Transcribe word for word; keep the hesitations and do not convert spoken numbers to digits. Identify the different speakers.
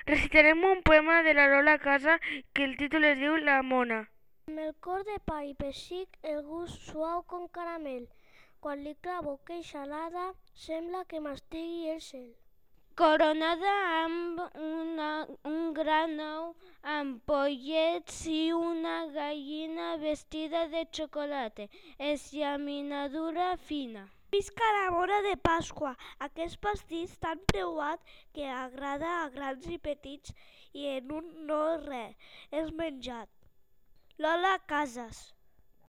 Speaker 1: Recitarem un poema de la Lola Casa que el títol es diu La Mona.
Speaker 2: Amb el cor de pa i pessic, el gust suau com caramel. Quan li clavo queixa alada, sembla que mastigui el cel.
Speaker 3: Coronada amb una, un gran ou amb pollets i una gallina vestida de xocolata, és llaminadura fina.
Speaker 2: Visca la mona de Pasqua, aquest pastís tan preuat que agrada a grans i petits i en un no res és menjat. Lola Casas.